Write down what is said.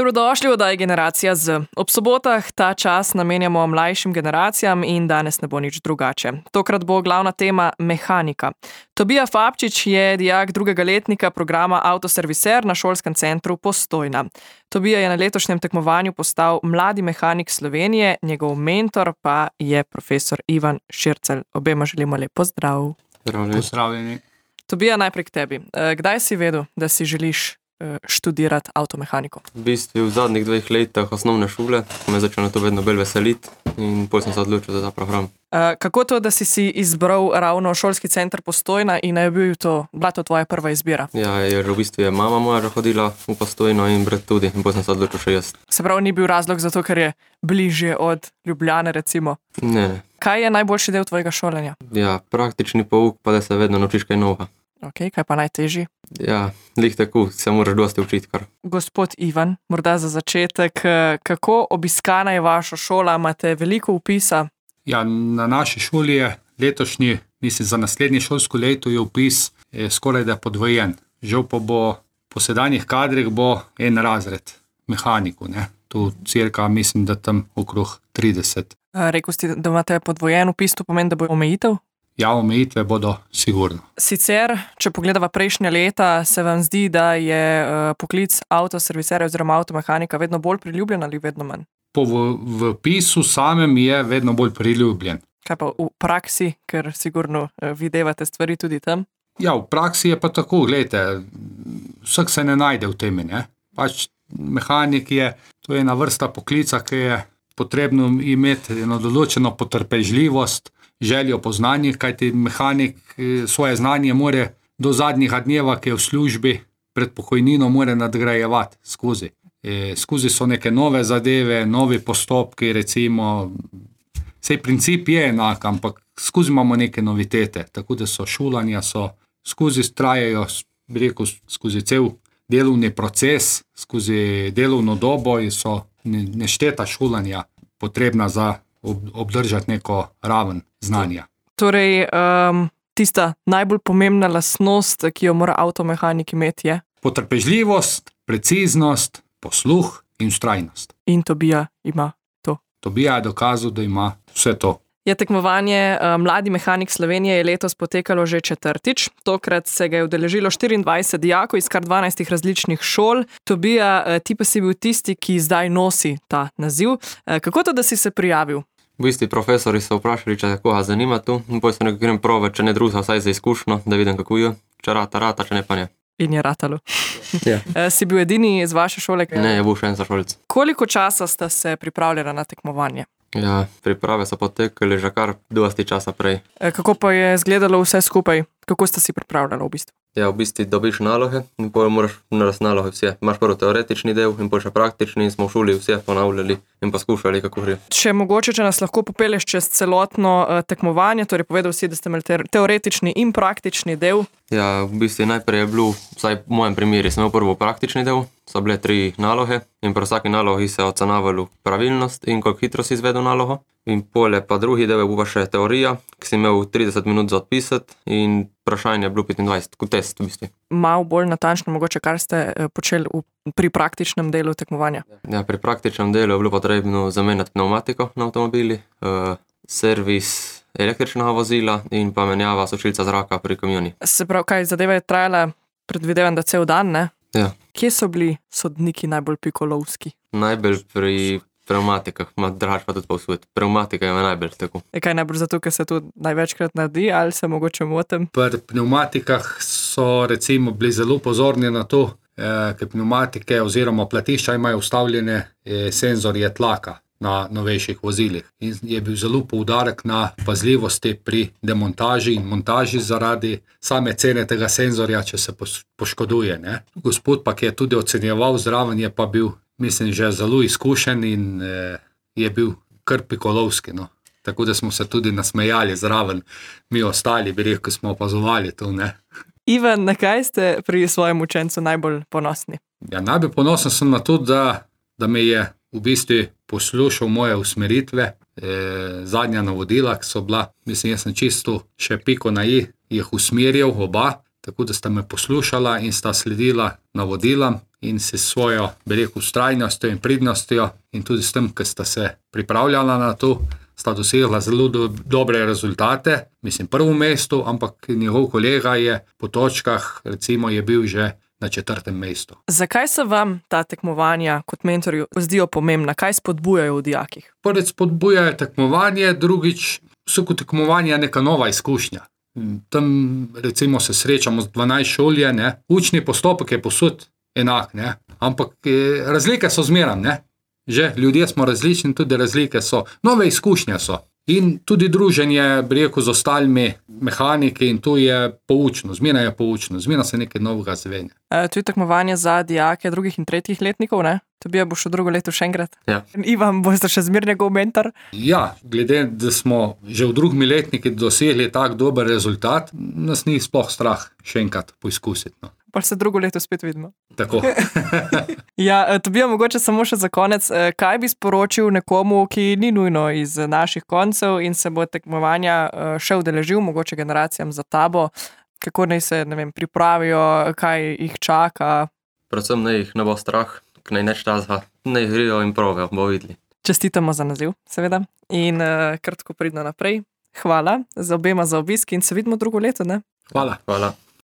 Dobrodošli v oddaji Generacija Z. Ob sobotah ta čas namenjamo mlajšim generacijam in danes ne bo nič drugače. Tokrat bo glavna tema mehanika. Tobija Fabčič je dijak drugega letnika programa Avtoserviser na šolskem centru Postojna. Tobija je na letošnjem tekmovanju postal mladi mehanik Slovenije, njegov mentor pa je profesor Ivan Šircelj. Obema želimo lep pozdrav. Pozdravljeni. Tobija, najprej k tebi. Kdaj si vedel, da si želiš študirati avtomehaniko? V bistvu v zadnjih 2 letih osnovne šole me začelo to vedno bolj veseliti in potem sem se odločil za ta program. Kako to, da si izbral ravno šolski center Postojna in je bila to tvoja prva izbira? Ja, jer v bistvu je mama moja že hodila v Postojno in brat tudi in potem sem se odločil še jaz. Se pravi, ni bil razlog zato, ker je bližje od Ljubljane, recimo? Ne. Kaj je najboljši del tvojega šolanja? Ja, praktični pouk, pa da se vedno naučiš kaj novega. Ok, kaj pa najtežji? Ja, glih tako, se moraš dosti učiti kar. Gospod Ivan, morda za začetek, kako obiskana je vaša šola? Imate veliko vpisa? Ja, na naši šoli je letošnji, mislim za naslednje šolsko leto je vpis skoraj da podvojen. Žal pa bo po sedanjih kadrih bo en razred mehanikov, ne. Tu cirka mislim, da tam okrog 30. Rekel si, da imate podvojen vpis, to pomeni, da bo omejitev? Ja, omejitve bodo sigurno. Sicer, če pogledava prejšnja leta, se vam zdi, da je poklic avtoserviserja oziroma avtomehanika vedno bolj priljubljen ali vedno manj? V vpisu samem je vedno bolj priljubljen. Kaj pa v praksi, ker sigurno videvate stvari tudi tam? Ja, v praksi je pa tako, gledajte, vsak se ne najde v temi, ne. Pač mehanik je, to je ena vrsta poklica, ki je potrebno imeti eno določeno potrpežljivost, željo po znanjih, kajti mehanik svoje znanje more do zadnjega dneva, ki je v službi, pred pokojnino more nadgrajevati skozi. Skozi so neke nove zadeve, novi postopki, recimo, sej princip je enak, ampak skozi imamo neke novitete, tako da so šolanja, skozi trajajo, bi rekel, skozi cel delovni proces, skozi delovno dobo in so nešteta šolanja potrebna za obdržati neko raven znanja. Torej, tista najbolj pomembna lastnost, ki jo mora avtomehanik imeti, je? Potrpežljivost, preciznost, posluh in vztrajnost. In Tobija ima to? Tobija je dokazal, da ima vse to. Je tekmovanje Mladi mehanik Slovenije je letos potekalo že 4. Tokrat se ga je udeležilo 24 dijakov iz kar 12 različnih šol. Tobija, ti pa si bil tisti, ki zdaj nosi ta naziv. Kako to, da si se prijavil? V bistvu profesori so vprašali, če koga zanima tu, in potem sem nekaj grem prove, če ne druga, vsaj za izkušnjo, da vidim kako je. Če rata, če ne pa ne. In je ratalo. Ja. Si bil edini iz vaše šole? Ne, je bil še en sošolec. Koliko časa sta se pripravljala na tekmovanje? Ja, priprave so potekale že kar dosti časa prej. Kako pa je izgledalo vse skupaj? Kako sta si pripravljala v bistvu? Ja, v bistvu dobiš naloge in potem moraš narediti naloge vse. Imaš prvo teoretični del in potem še praktični in smo v šoli vse ponavljali in poskušali, kako gre. Če nas lahko popelješ čez celotno tekmovanje, torej povedal si, da ste imeli teoretični in praktični del. Ja, v bistvu najprej je bil, vsaj v mojem primeri, sem imel prvo praktični del, so bile 3 naloge in pri vsaki nalogi se ocenavalo pravilnost in koliko hitro si izvedel nalogo. In pole pa drugi del je bila še teorija, ki si imel 30 minut za odpisati in vprašanje je bilo 25, kot test v bistvu. Malo bolj natančno mogoče, kar ste počeli pri praktičnem delu tekmovanja? Ja, pri praktičnem delu je bilo potrebno zamenjati pneumatiko na avtomobili, servis električnega vozila in pa menjava sušilca zraka pri kamioni. Se pravi, kaj zadeva je trajala, predvidevam, da cel dan, ne? Ja. Kje so bili sodniki najbolj pikolovski? Najbolj pri pneumatikah, drugače pa tudi povsod. Pneumatika je najbolj tako. Kaj najbolj zato, ker se to največkrat naredi ali se mogoče motim? Pri pneumatikah so recimo bili zelo pozorni na to, ker pneumatike oziroma platišča imajo vstavljene senzorje tlaka na novejših vozilih. In je bil zelo poudarek na pazljivosti pri demontaži in montaži zaradi same cene tega senzorja, če se poškoduje, ne. Gospod pa, ki je tudi ocenjeval zraven, je pa bil, mislim, že zelo izkušen in je bil kar pikolovski, no. Tako da smo se tudi nasmejali zraven, mi ostali, bi rekel, smo opazovali to, ne. Ivan, na kaj ste pri svojem učencu najbolj ponosni? Ja, najbolj ponosen sem na to, da me je v bistvu poslušal moje usmeritve, zadnja navodila, ki so bila, mislim, jaz sem čisto še piko na i, jih usmerjal oba, tako da sta me poslušala in sta sledila navodila in se svojo, bi rekel, vztrajnostjo in pridnostjo in tudi s tem, ker sta se pripravljala na to, sta dosegla zelo dobre rezultate. Mislim, prvo mesto, ampak njegov kolega je po točkah, recimo, je bil že na 4. mestu. Zakaj se vam ta tekmovanja kot mentorju zdijo pomembna? Kaj spodbujajo v dijakih? Prvič spodbujajo tekmovanje, drugič so kot tekmovanja neka nova izkušnja. Tam recimo se srečamo z 12 šolje, ne. Učni postopek je povsod enak, ne. Ampak razlike so zmeraj, ne. Že ljudje smo različni, tudi razlike so. Nove izkušnje so. In tudi druženje, bi rekel, z ostalimi mehaniki in to je poučno, zmeraj je poučno, zmeraj se nekaj novega zvenja. To je tekmovanje za dijake 2. in 3. letnikov, ne? Tobija boš v drugo leto še enkrat. Ja. Ivan, boste še zmer njegov mentor? Ja, glede, da smo že v 2. letniki dosegli tak dober rezultat, nas ni sploh strah še enkrat poizkusiti. No. Pa se drugo leto spet vidimo. Tako. Ja, Tobija, mogoče samo še za konec, kaj bi sporočil nekomu, ki ni nujno iz naših koncev in se bo tekmovanja še udeležil, mogoče generacijam za tabo, kako naj se, ne vem, pripravijo, kaj jih čaka? Predvsem naj jih ne bo strah, naj neč časa, naj grijo in provajo, bo videli. Čestitamo za naziv, seveda, in kar tako pridno naprej. Hvala za obema za obisk in se vidimo drugo leto, ne? Hvala. Hvala.